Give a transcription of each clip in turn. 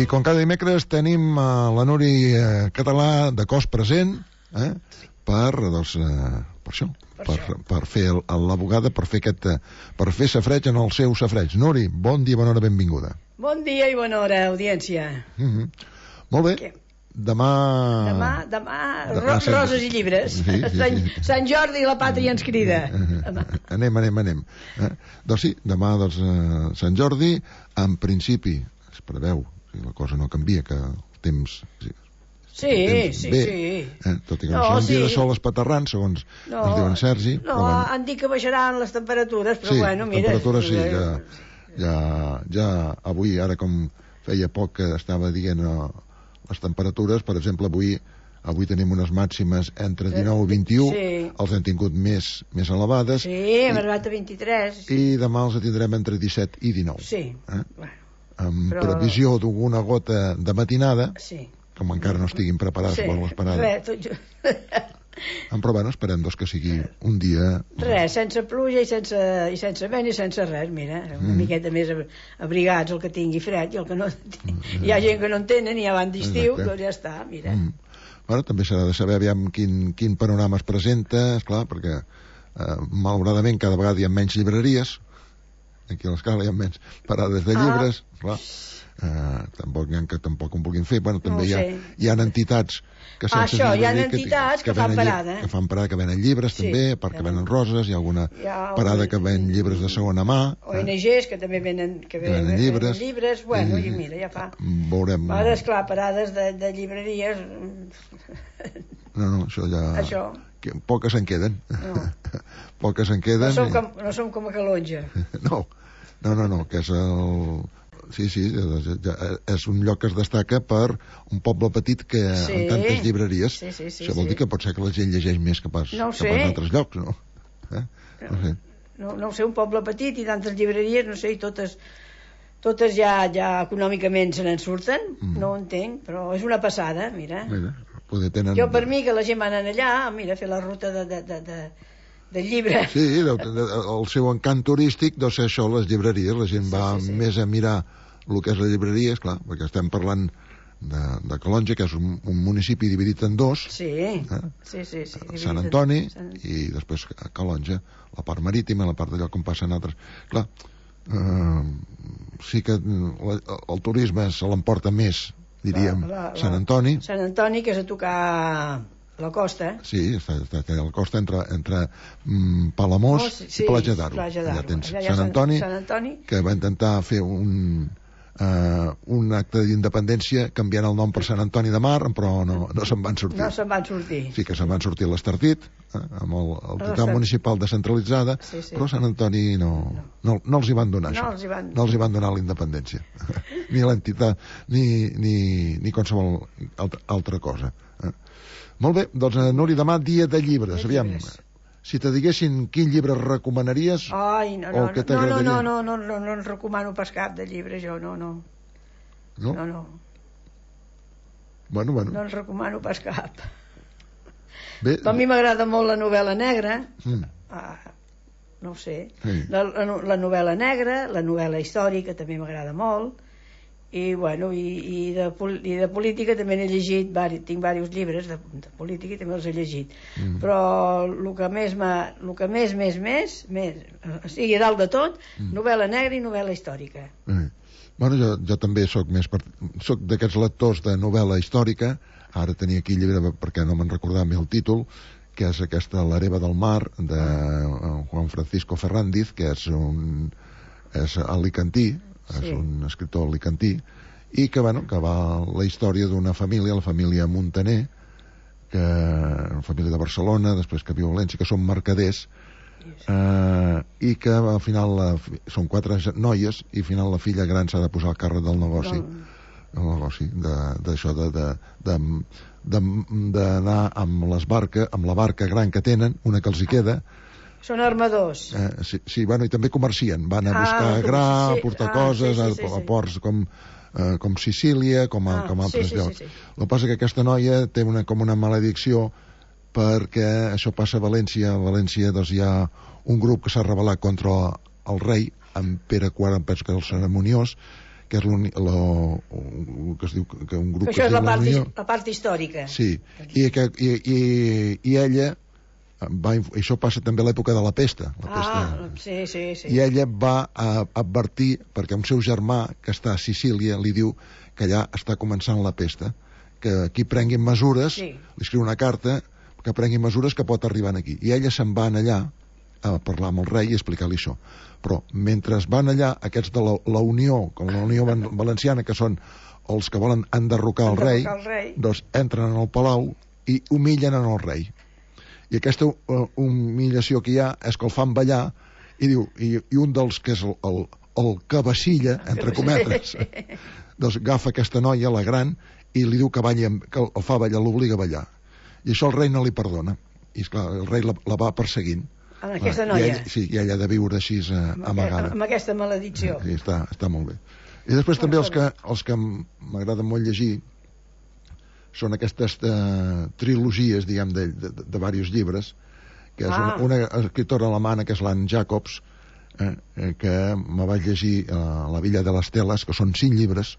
com cada dimecres tenim la Núri Català de cos present, per això, per fer l'abogada, per fer safreig en el seu safreig. Núri, bon dia, bona hora, benvinguda. Bon dia i bona hora, audiència. Molt bé. Demà... Roses i llibres. Sant Jordi i la pàtria ens crida. Anem. Doncs sí, demà Sant Jordi, en principi, es preveu, si la cosa no canvia, que el temps... Sí. Tot i que no són dia de sol espaterrant, segons ens diuen Sergi. No, han dit que baixaran les temperatures, però bueno, mira... Sí, temperatures sí, ja avui, ara com feia poc que estava dient les temperatures, per exemple, avui tenim unes màximes entre 19 i 21, els hem tingut més elevades. Sí, hem arribat a 23. I demà els tindrem entre 17 i 19. Sí. Amb previsió d'alguna gota de matinada, com encara no estiguin preparats per l'esperada. Però bueno, esperem que sigui un dia... Res, sense pluja i sense vent i sense res, mira, una miqueta més abrigats el que tingui fred i el que no... Hi ha gent que no en tenen i ja van d'estiu, doncs ja està, mira. Bueno, també s'ha de saber aviam quin panorama es presenta, esclar, perquè malauradament cada vegada hi ha menys llibreries, aquí a l'escala hi ha menys parades de llibres, esclar. Tampoc n'hi ha que tampoc ho vulguin fer. Bueno, també hi ha entitats que sense entitats que fan parada, que fan parada, que venen llibres també, perquè venen roses, hi ha alguna parada que ven llibres de segona mà, ONGs que també venen llibres, bueno, i mira, ja fa veurem. Ara, esclar, parades de llibreries no, això ja poques en queden. Poques en queden. No som com a Calonja. No, que és el... Sí, és un lloc que es destaca per un poble petit que amb tantes llibreries. Això vol dir que pot ser que la gent llegeix més que pas d'altres llocs, no? No ho sé, un poble petit i tantes llibreries, no sé, i totes ja econòmicament se n'en surten, no ho entenc, però és una passada, mira. Jo per mi que la gent va anar allà, mira, a fer la ruta de llibre. Sí, el seu encant turístic deu ser això, les llibreries. La gent va més a mirar el que és la llibreria, esclar, perquè estem parlant de Calonja, que és un municipi dividit en dos. Sí. Sant Antoni i després Calonja, la part marítima, la part d'allò on passen altres. Clar, sí que el turisme se l'emporta més, diríem, Sant Antoni. Sant Antoni, que és a tocar... la costa. Sí, està a la costa entre Palamós i Platja d'Aro. Ja tens Sant Antoni, que va intentar fer un acte d'independència canviant el nom per Sant Antoni de Mar, però no se'n van sortir. No se'n van sortir. Sí que se'n van sortir l'Estartit, amb l'entitat municipal descentralitzada, però Sant Antoni no els hi van donar això. No els hi van donar la independència. Ni l'entitat, ni qualsevol altra cosa. Molt bé, doncs Núria, demà dia de llibres. Aviam, si te diguessin quin llibre recomanaries o què t'agradaria... No en recomano pas cap de llibre, jo, no. No. Bueno. No en recomano pas cap. Bé. A mi m'agrada molt la novel·la negra, no ho sé, la novel·la negra, la novel·la històrica també m'agrada molt, i bueno, i de política també n'he llegit, tinc diversos llibres de política i també els he llegit, però el que més sigui a dalt de tot, novel·la negra i novel·la històrica. Bueno, jo també soc d'aquests lectors de novel·la històrica. Ara tenia aquí el llibre perquè no me'n recordava el títol, que és aquesta L'hereva del mar de Juan Francisco Ferrandiz, que és alicantí, és un escriptor alicantí, i que va la història d'una família, la família Muntaner, una família de Barcelona, després que viu a València, que són mercaders, i que al final són 4 noies i al final la filla gran s'ha de posar al càrrec del negoci d'això d'anar amb la barca gran que tenen, una que els hi queda. Són armadors. Sí, bueno, i també comercien, van a buscar gra, a portar coses a ports com Sicília, com altres llocs. El que passa que aquesta noia té com una maledicció, perquè això passa a València. A València doncs, hi ha un grup que s'ha rebel·lat contra el rei, en Pere IV, em penso que és el Cerimoniós, que és que es diu que un grup això és la part històrica. Sí, i ella això passa també a l'època de la pesta. Sí. I ella va advertir, perquè un seu germà que està a Sicília li diu que allà està començant la pesta, que aquí prenguin mesures, li escriu una carta que prenguin mesures que pot arribar aquí. I ella se'n va allà a parlar amb el rei i explicar-li això. Però mentre van allà, aquests de la Unió, com la Unió Valenciana, que són els que volen enderrocar el rei, doncs entren en el palau i humillen en el rei. I aquesta humillació que hi ha és que el fan ballar i diu, i un dels que és el cabecilla, entre cometes, doncs agafa aquesta noia, la gran, i li diu que balli, que el fa ballar, l'obliga a ballar. I això el rei no li perdona. I esclar, el rei la va perseguint. Amb aquesta noia? I ella ha de viure així amagada. Amb aquesta maledicció. Sí, està molt bé. I després també els que m'agrada molt llegir són aquestes trilogies, diguem, de diversos llibres, que és una escriptora alemana, que és l'Anne Jacobs, que me vaig llegir La Villa de les Teles, que són 5 llibres,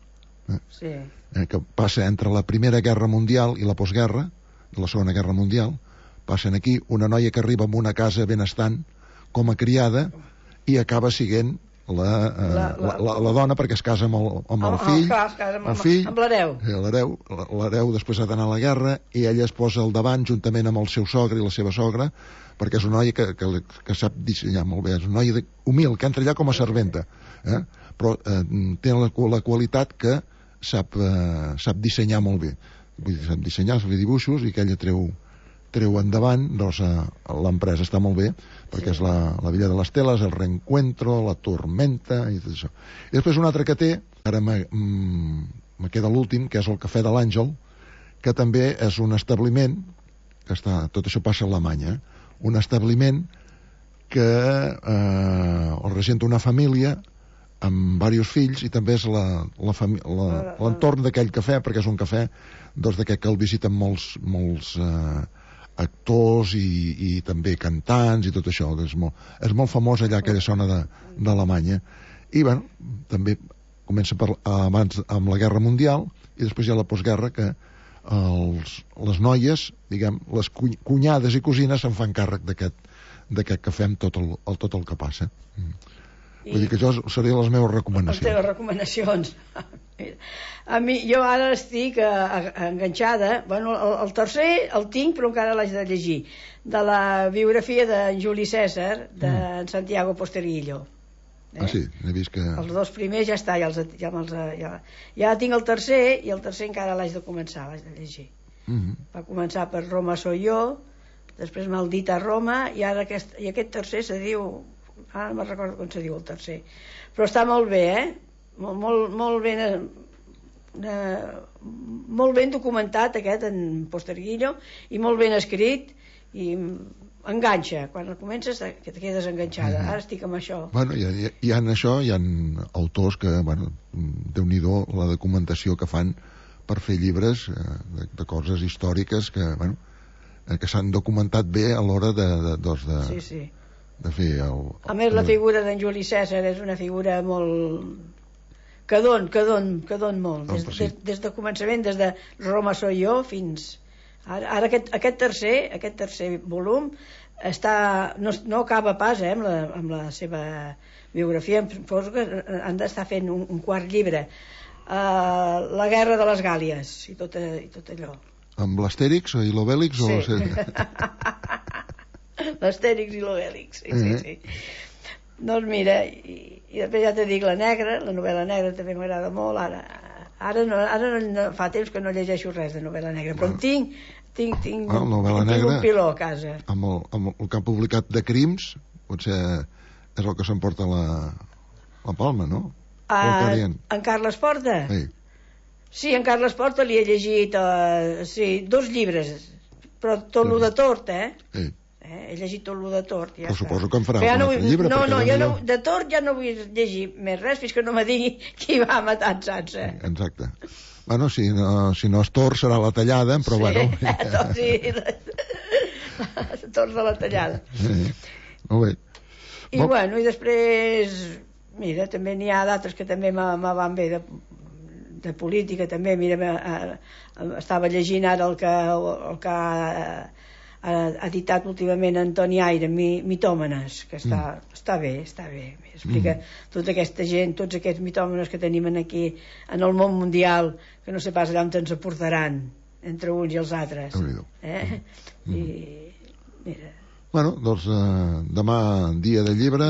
que passa entre la Primera Guerra Mundial i la postguerra, de la Segona Guerra Mundial. Passen aquí una noia que arriba a una casa benestant com a criada i acaba sent la dona, perquè es casa amb el fill, amb l'hereu. L'hereu després ha d'anar a la guerra i ella es posa al davant juntament amb el seu sogre i la seva sogra, perquè és una noia que sap dissenyar molt bé, és una noia humil, que entra allà com a serventa, però té la qualitat que sap dissenyar molt bé. Vull dir, sap dissenyar, fer dibuixos, i que ella treu endavant, doncs l'empresa està molt bé, perquè és la Villa de les Teles, el Reencuentro, la Tormenta i tot això. I després un altre que té, ara me queda l'últim, que és el Cafè de l'Àngel, que també és un establiment que tot això passa a Alemanya, un establiment que el regenta una família amb diversos fills, i també és l'entorn d'aquell cafè, perquè és un cafè d'aquest que el visiten molts actors i també cantants i tot això. És molt famós allà, aquella zona d'Alemanya. I bueno, també comença abans amb la Guerra Mundial, i després hi ha la postguerra, que les noies, diguem, les cunyades i cosines se'n fan càrrec d'aquest cafè amb tot el que passa. Vull dir que això serien les meves recomanacions. Les teves recomanacions. A mi, jo ara estic enganxada. Bueno, el tercer el tinc, però encara l'haig de llegir, de la biografia d'en Juli César, d'en Santiago Posteguillo. Sí, he vist que... Els 2 primers ja està, ja tinc el tercer, i el tercer encara l'haig de començar, l'haig de llegir. Va començar per Roma soy yo, després Maldita Roma, i ara aquest tercer se diu... Ara no me'n recordo com se diu el tercer, però està molt bé, molt ben documentat aquest en Posteguillo, i molt ben escrit, i enganxa. Quan comences que te quedes enganxada. Ara estic amb això. Bueno, hi ha autors que, bueno, Déu-n'hi-do la documentació que fan per fer llibres de coses històriques que, bueno, que s'han documentat bé a l'hora Sí. de fer a més, la figura d'en Juli César és una figura molt... que don molt. Des de començament, des de Roma soy yo fins... Ara aquest tercer volum no acaba pas amb la seva biografia. Han d'estar fent un quart llibre, La guerra de les Gàlies i tot allò. Amb l'Astèrix i l'Obèlix? Sí. L'Astèrix i l'Obèlix, sí. Doncs mira, i després ja te dic la novel·la negra també m'agrada molt. Ara no fa temps que no llegeixo res de novel·la negra, però tinc un piló a casa. Amb el que ha publicat de crims, potser és el que s'emporta la palma, no? En Carles Porta? Sí, en Carles Porta li he llegit 2 llibres, però tot lo de Tort, he llegit tot lo de Tort. Però suposo que em farà un altre llibre. No, de Tort ja no vull llegir més res fins que no me digui qui va matar en Sansa. Exacte. Bueno, si no és Tort serà la Tallada, però bueno. Sí, Tort de la Tallada. Molt bé. I bueno, i després Mira, també n'hi ha d'altres que també me van bé, de política també. Mira, estava llegint ara el que ha editat últimament Antoni Aire, Mitòmenes, que està bé. Explica tota aquesta gent, tots aquests mitòmenes que tenim aquí en el món mundial, que no sé pas allà on ens aportaran entre uns i els altres. I mira. Bueno, doncs demà dia de llibre.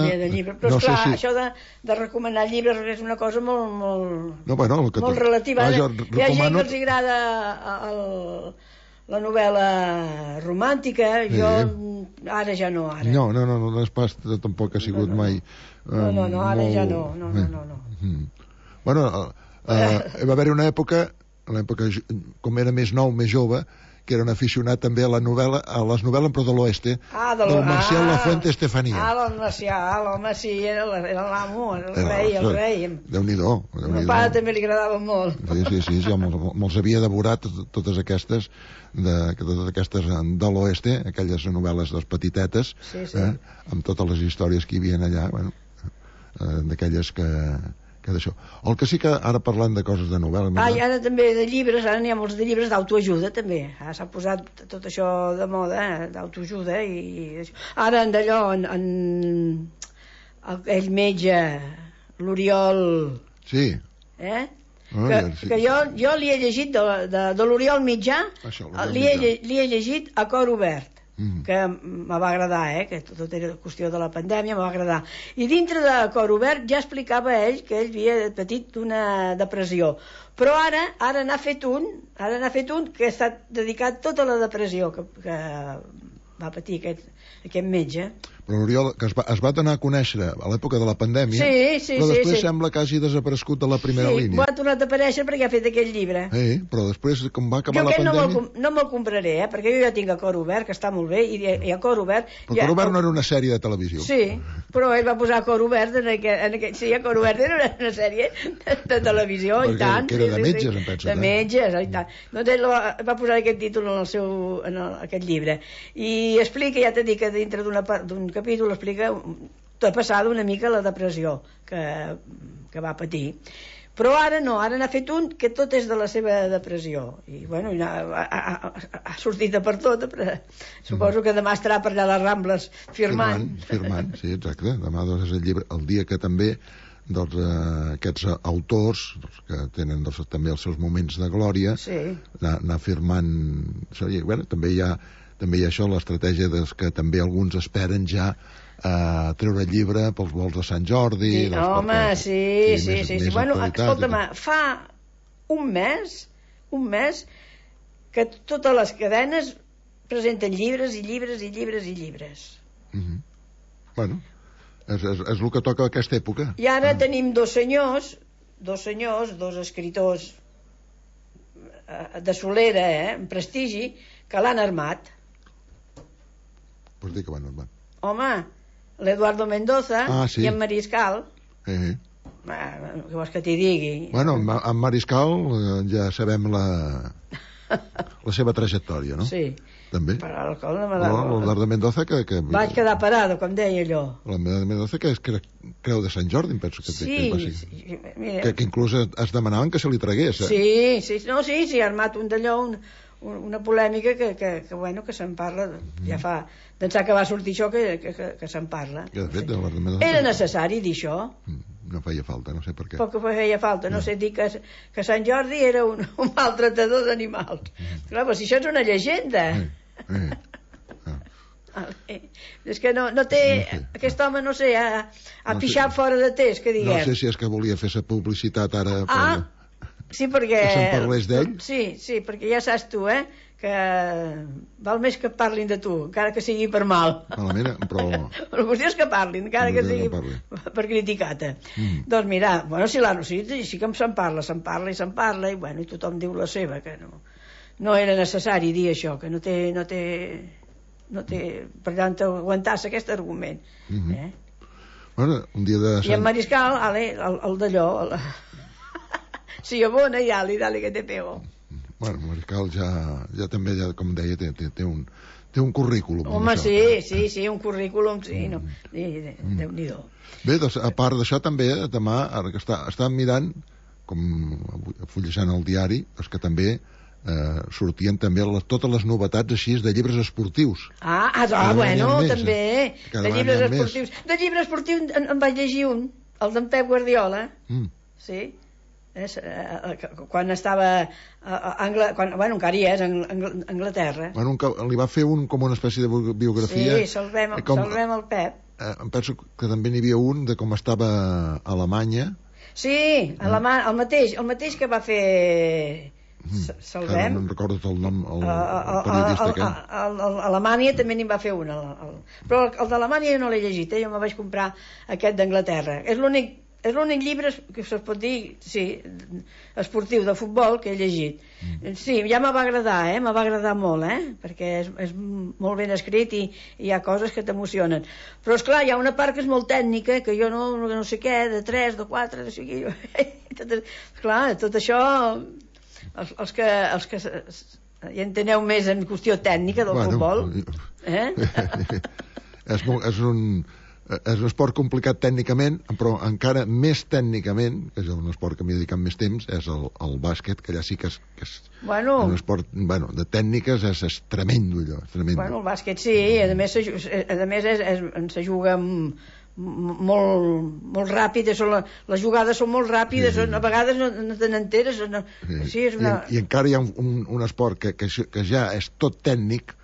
Però esclar, això de recomanar llibres és una cosa molt relativa. Hi ha gent que els agrada la novel·la romàntica. Jo ara ja no. No és pas, tampoc ha sigut mai. No, ara ja no. Bueno, va haver una època, com era més nou, més jove, que era un aficionat també a les novel·les però de l'oeste, del Marcial Lafuente Estefanía. El Marcial, era l'amo, el rei. Déu-n'hi-do. A meu pare també li agradava molt. Sí, jo me'ls havia devorat totes aquestes de l'oeste, aquelles novel·les petitetes, amb totes les històries que hi havia allà, d'aquelles que d'això. El que sí que ara parlant de coses de novel·la... I ara també de llibres, ara n'hi ha molts de llibres d'autoajuda també. S'ha posat tot això de moda, d'autoajuda, i ara d'allò aquell metge, l'Oriol... Sí. Que jo li he llegit de l'Oriol Mitjà, li he llegit A cor obert, que me va agradar, que tot era qüestió de la pandèmia, me va agradar. I dintre de Cor obert ja explicava ell que ell havia patit una depressió, però ara n'ha fet un que ha estat dedicat tota a la depressió que va patir aquest metge. Però l'Oriol, que es va donar a conèixer a l'època de la pandèmia, però després sembla que hagi desaparegut de la primera línia. Ha tornat a aparèixer perquè ha fet aquell llibre. Però després, com va acabar la pandèmia... Jo no me'l compraré, perquè jo ja tinc A cor obert, que està molt bé, i A cor obert... Però Cor obert no era una sèrie de televisió. Sí, però ell va posar A cor obert sí, A cor obert era una sèrie de televisió, i tant. Que era de metges, em penso. De metges, i tant. Doncs ell va posar aquest títol en aquest llibre. I explica, ja t'he dit que dintre d'un capítol explica de passada una mica la depressió que va patir, però ara n'ha fet un que tot és de la seva depressió, i bueno, ha sortit de per tot, però suposo que demà estarà per allà a les Rambles firmant, sí, exacte. Demà és el llibre, el dia que també aquests autors que tenen també els seus moments de glòria, anar firmant. Bueno, també hi ha això, l'estratègia que també alguns esperen ja treure el llibre pels vols de Sant Jordi. Sí. Bueno, escolta'm, fa un mes que totes les cadenes presenten llibres i llibres i llibres i llibres. Bueno, és el que toca a aquesta època. I ara tenim dos senyors, dos escriptors de solera, amb prestigi, que l'han armat. Pots dir que van armat? Home, l'Eduardo Mendoza i en Mariscal. Què vols que t'hi digui? Bueno, en Mariscal ja sabem la seva trajectòria, no? Sí. També. L'Eduardo Mendoza que... Vaig quedar parado, com deia allò. L'Eduardo Mendoza que és creu de Sant Jordi, em penso que... Sí. Que inclús es demanaven que se li tragués. Sí, ha armat un d'allò, una polèmica que se'n parla, ja fa d'ençà que va sortir això que se'n parla. Era necessari dir això? No feia falta, no sé per què. Poc que feia falta, no sé dir que Sant Jordi era un maltratador d'animals. Clar, però si això és una llegenda. És que no té, aquest home, no sé, ha pixat fora de test, que diguem. No sé si és que volia fer sa publicitat ara... Sí, perquè... Que se'n parlés d'ell? Sí, perquè ja saps tu, que val més que parlin de tu, encara que sigui per mal. Malament, però... La qüestió és que parlin, encara que sigui per criticar-te. Doncs mira, bueno, sí que se'n parla, i bueno, tothom diu la seva, que no era necessari dir això, que no té per tant aguantar-se aquest argument. Bueno, un dia de... I en Mariscal, el d'allò... Sí, bona, dale, que te pego. Bueno, Mariscal ja també, com deia, té té un currículum. Home, sí, un currículum, sí, no. Déu-n'hi-do. Bé, doncs, a part d'això també, demà, ara que estàvem mirant, com fullejant el diari, doncs que també sortien també totes les novetats així de llibres esportius. Bueno, també, de llibres esportius. De llibre esportiu en vaig llegir un, el d'en Pep Guardiola, sí, quan estava bueno, encara hi és, en Anglaterra. Bueno, li va fer com una espècie de biografia. Sí, salvem el Pep. Em penso que també n'hi havia un de com estava a Alemanya. Sí, el mateix que va fer Salvem. No em recordo el nom, el periodista aquest. A Alemanya també n'hi va fer un. Però el d'Alemanya jo no l'he llegit, jo me vaig comprar aquest d'Anglaterra. És l'únic llibre que es pot dir, sí, esportiu de futbol que he llegit. Sí, ja me va agradar, me va agradar molt, perquè és molt ben escrit i hi ha coses que t'emocionen. Però esclar, hi ha una part que és molt tècnica, que jo no sé què, de 3, de 4, no sé què. Esclar, tot això, els que hi enteneu més en qüestió tècnica del futbol, és un esport complicat tècnicament, però encara més tècnicament, que és un esport que m'hi he dedicat més temps, és el bàsquet, que allà sí que és un esport de tècniques, és tremendo allò. Bueno, el bàsquet sí, a més se juga molt ràpid, les jugades són molt ràpides, a vegades no te n'enteres. I encara hi ha un esport que ja és tot tècnic,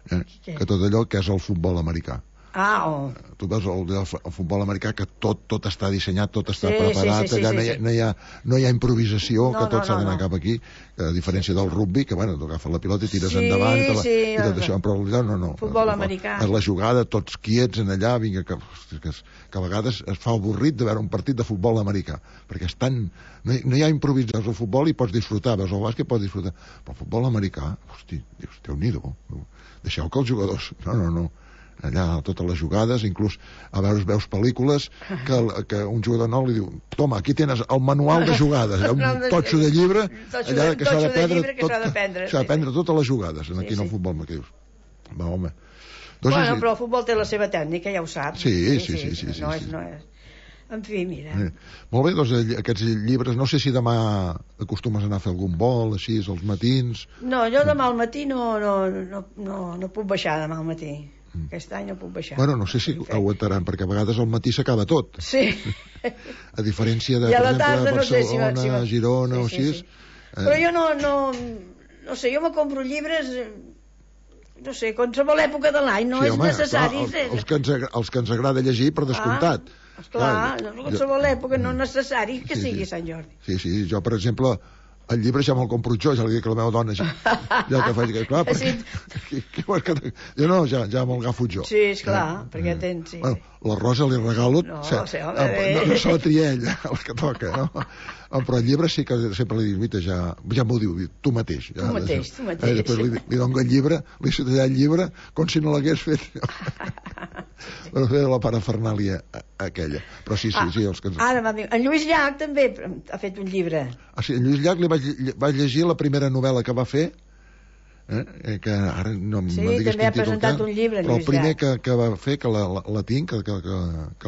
que tot allò que és el futbol americà. Tu veus el futbol americà, que tot està dissenyat, tot està preparat, allà no hi ha improvisació, que tot s'ha d'anar cap aquí, a diferència del rugby, que tu agafes la pilota i tires endavant i tot això, però no. Futbol americà. És la jugada, tots quiets en allà, vinga, que a vegades es fa avorrit de veure un partit de futbol americà, perquè és tan... No hi ha improvisació. Al futbol hi pots disfrutar, veus el bàsquet pots disfrutar, però el futbol americà, hosti, dius, Déu-n'hi-do, deixeu que els jugadors... No. Allà totes les jugades, inclús a veus pel·lícules que un jugador nou li diu, toma, aquí tens el manual de jugades, un totxo de llibre allà que s'ha d'aprendre totes les jugades aquí en el futbol, que dius, va, home. Bueno, però el futbol té la seva tècnica, ja ho saps. Sí. No és... En fi, mira. Molt bé, doncs aquests llibres, no sé si demà acostumes a anar a fer algun vol, així, als matins. No, jo demà al matí no puc baixar demà al matí. Aquest any no puc baixar. Bueno, no sé si aguantaran, perquè a vegades al matí s'acaba tot. Sí. A diferència de, per exemple, Barcelona, Girona o així. Però jo no sé, jo me compro llibres, no sé, qualsevol època de l'any, no és necessari. Els que ens agrada llegir, per descomptat. Esclar, qualsevol època no és necessari que sigui Sant Jordi. Sí, jo, per exemple... El llibre ja me'l compro jo, ja li dic a la meva dona ja que faig, clar, perquè jo no, ja me'l agafo jo. Sí, esclar, perquè tens... Bueno, la Rosa li regalo, no se la tria ella, el que toca, no? Però el llibre sí que sempre li dic, ja m'ho diu, tu mateix. Tu mateix. Després li dono el llibre, li citaré el llibre, com si no l'hagués fet. Però fer la parafernàlia aquella. Però sí, els que... Ara, en Lluís Llach també ha fet un llibre. Sí, en Lluís Llach li vaig llegir la primera novel·la que va fer, que ara no em digues quin títol, també ha presentat un llibre, però el primer que va fer, que la tinc, que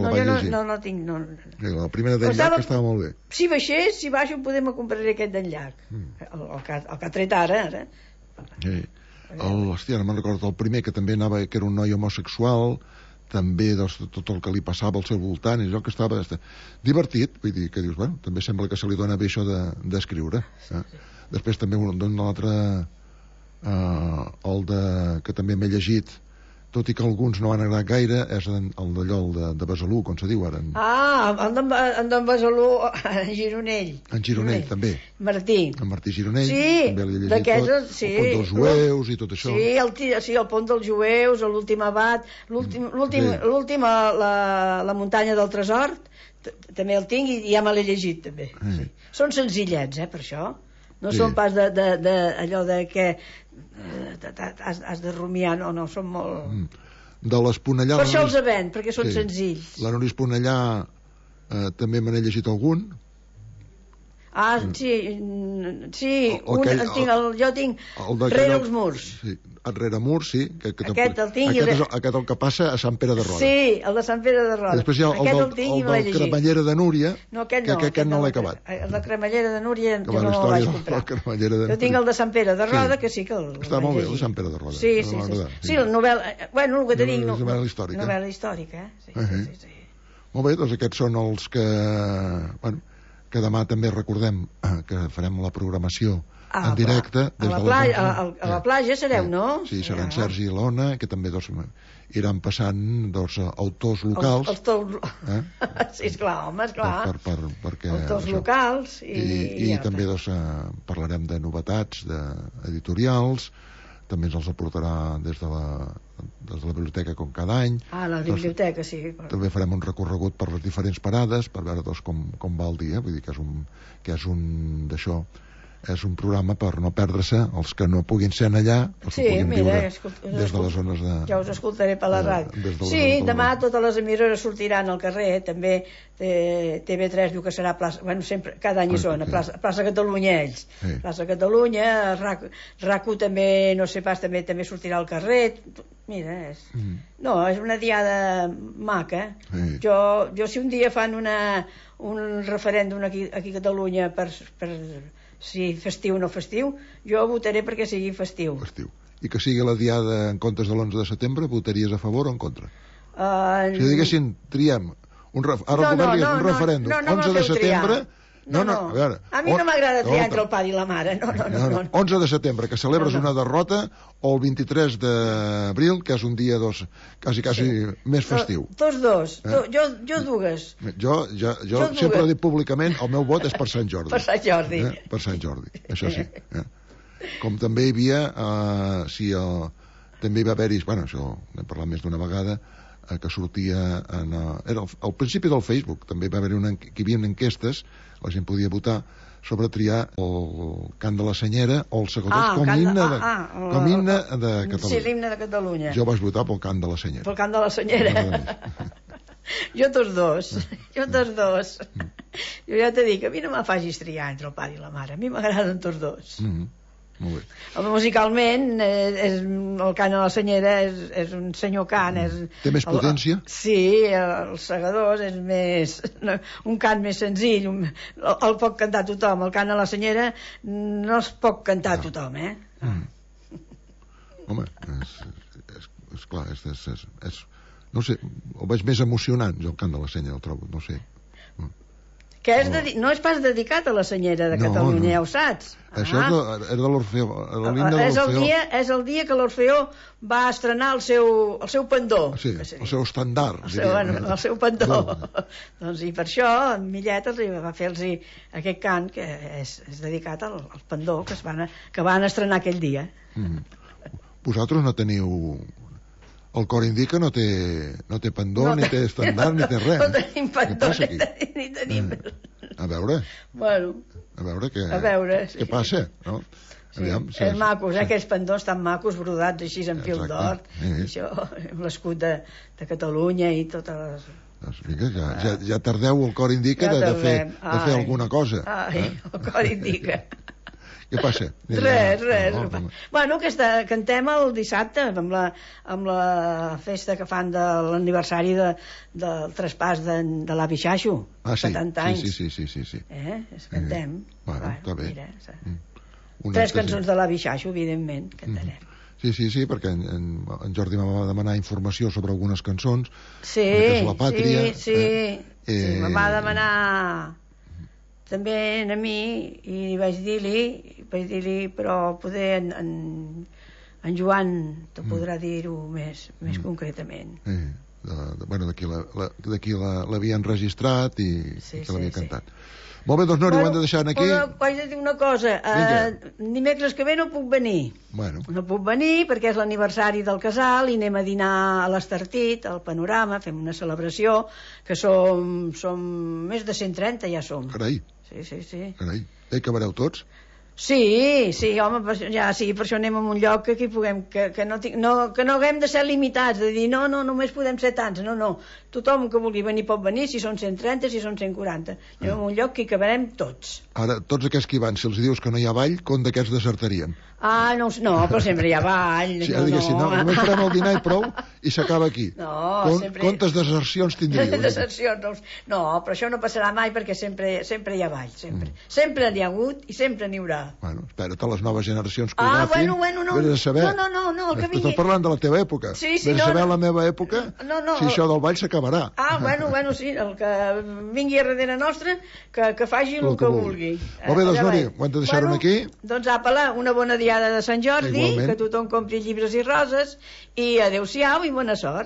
la vaig llegir. No, no tinc, no. La primera d'en Llach estava molt bé. Si baixés, si baixo, podem compraré aquest d'en Llach, el que ha tret ara. Hòstia, no me'n recordo, el primer, que també anava, que era un noi homosexual, també tot el que li passava al seu voltant, i allò que estava divertit, vull dir, que dius, bueno, també sembla que se li dona bé això d'escriure. Després també un altre, el que també m'he llegit, tot i que alguns no han agradat gaire, és el d'allò de Besalú, com se diu ara. En d'en Besalú, en Gironell. En Gironell, també. Martí. En Martí Gironell. Sí, també l'he llegit tot. El pont dels jueus i tot això. Sí, el pont dels jueus, l'últim abat, la muntanya del tresor, també el tinc i ja me l'he llegit, també. Són senzillets, per això. No són pas d'allò de que has de rumiar, no, són molt... De l'Esponellà... Per això els ven, perquè són senzills. La Núria Esponellà també me n'he llegit algun. Ah, sí, jo tinc rere els murs. Sí, rere murs, sí. Aquest el tinc. Aquest el que passa a Sant Pere de Roda. Sí, el de Sant Pere de Roda. Després hi ha el del Cremallera de Núria, que aquest no l'he acabat. El de Cremallera de Núria jo no el vaig comprar. Jo tinc el de Sant Pere de Roda, que sí que el està molt bé, el de Sant Pere de Roda. Sí, la novel·la... Bueno, el que te dic... Novel·la històrica. Novel·la històrica, sí. Molt bé, doncs aquests són els que... Bueno, que demà també recordem que farem la programació en directe des de a la platja sereu, no? Sí, seran Sergi i l'Ona, que també iran passant autors locals. Sí, esclar, home, esclar. Autors locals i també parlarem de novetats editorials, també ens els aportarà des de la biblioteca com cada any. La biblioteca, sí. També farem un recorregut per les diferents parades per veure com va el dia, vull dir que és un d'això, és un programa per no perdre-se els que no puguin ser allà, els que puguin viure des de les zones de... Ja us escoltaré per la ràdio. Sí, demà totes les emissores sortiran al carrer, també TV3 diu que serà plaça, bueno, sempre, cada any hi són, a plaça Catalunya ells. Plaça Catalunya, RAC1 també, no sé pas, també sortirà al carrer. Mira, no, és una diada maca. Jo si un dia fan un referèndum aquí a Catalunya per si festiu o no festiu, jo votaré perquè sigui festiu. I que sigui la diada en comptes de l'11 de setembre, votaries a favor o en contra? Si diguessin, triem un referèndum 11 de setembre... No, a mi no m'agrada triar entre el pare i la mare. No. 11 de setembre, que celebres una derrota, o el 23 d'abril, que és un dia quasi més festiu. Tots dos. Jo dues. Jo sempre he dit públicament, el meu vot és per Sant Jordi. Per Sant Jordi. Per Sant Jordi, això sí. Com també hi havia, també hi va haver-hi, bueno, això n'hem parlat més d'una vegada, que sortia era al principi del Facebook, també va haver-hi que hi havia enquestes, la gent podia votar sobre triar el cant de la Senyera o el Segadors com himne de Catalunya. Sí, l'himne de Catalunya. Jo vaig votar pel cant de la Senyera. Pel cant de la Senyera. Jo tots dos. Jo ja t'he dit que a mi no me facis triar entre el pare i la mare, a mi m'agraden tots dos. Molt bé. Musicalment el cant a la Senyera és un senyor cant, té més potència? Sí, els Segadors és més un cant més senzill, el pot cantar tothom. El cant a la Senyera no es pot cantar tothom, home, és clar, no sé, ho veig més emocionant, jo el cant de la Senyera el trobo, no sé, que no és pas dedicat a la Senyera de Catalunya, ja ho saps. Això és de l'Orfeó. És el dia que l'Orfeó va estrenar el seu pendó. Sí, el seu estandard. El seu pendó. Doncs i per això en Millet va fer-los aquest cant que és dedicat al pendó que van estrenar aquell dia. Vosaltres no teniu... El cor indica no té pendó, ni té estandard, ni té res. No tenim pendó, ni tenim... A veure. Bueno. A veure què passa, no? És macos, aquells pendons tan macos, brodats així en fil d'or, això, amb l'escut de Catalunya i totes les... Doncs vinga, ja tardeu el cor indica de fer alguna cosa. El cor indica. Què passa? Res. Bueno, cantem el dissabte amb la festa que fan de l'aniversari del traspàs de l'avi Xaixo, 70 anys. Sí. Cantem. Bueno, està bé. 3 cançons de l'avi Xaixo, evidentment, cantarem. Sí, perquè en Jordi em va demanar informació sobre algunes cançons. Sí, La Pàtria. Sí, me va demanar... també a mi, i vaig dir-li, però poder en Joan te podrà dir-ho més concretament. Bueno, d'aquí l'havien registrat i que l'havia cantat. Molt bé, doncs Nori, ho hem de deixar aquí. Vaig dir una cosa, dimecres que ve no puc venir. No puc venir perquè és l'aniversari del casal i anem a dinar a l'Estartit, al Panorama, fem una celebració, que som més de 130, ja som. Carai. Sí. Carai. Que vareu tots? Sí, home, ja, sí, per això anem a un lloc que aquí puguem, que no haguem de ser limitats, de dir, no, només podem ser tants, no, tothom que vulgui venir pot venir, si són 130, si són 140, anem a un lloc que hi cabrem tots. Ara, tots aquests que hi van, si els dius que no hi ha ball, com d'aquests desertarien? No, però sempre hi ha ball. Sí, només farem el dinar i prou, i s'acaba aquí. Sempre... Quantes desercions tindríeu? Desercions, no, però això no passarà mai perquè sempre hi ha ball, sempre. Sempre n'hi ha hagut i sempre n'hi haurà. Bueno, espera't a les noves generacions que ho agafin. No. Vés a saber. No, que vingui. Estic parlant de la teva època. Sí, vés a saber la meva època, si això del ball s'acabarà. Sí, el que vingui a darrere nostre, que faci el que vulgui. Molt bé, doncs, Nori, ho hem de deixar-ho aquí. Doncs apa, una bona diada de Sant Jordi, igualment. Que tothom compri llibres i roses, i adeu-siau i bona sort.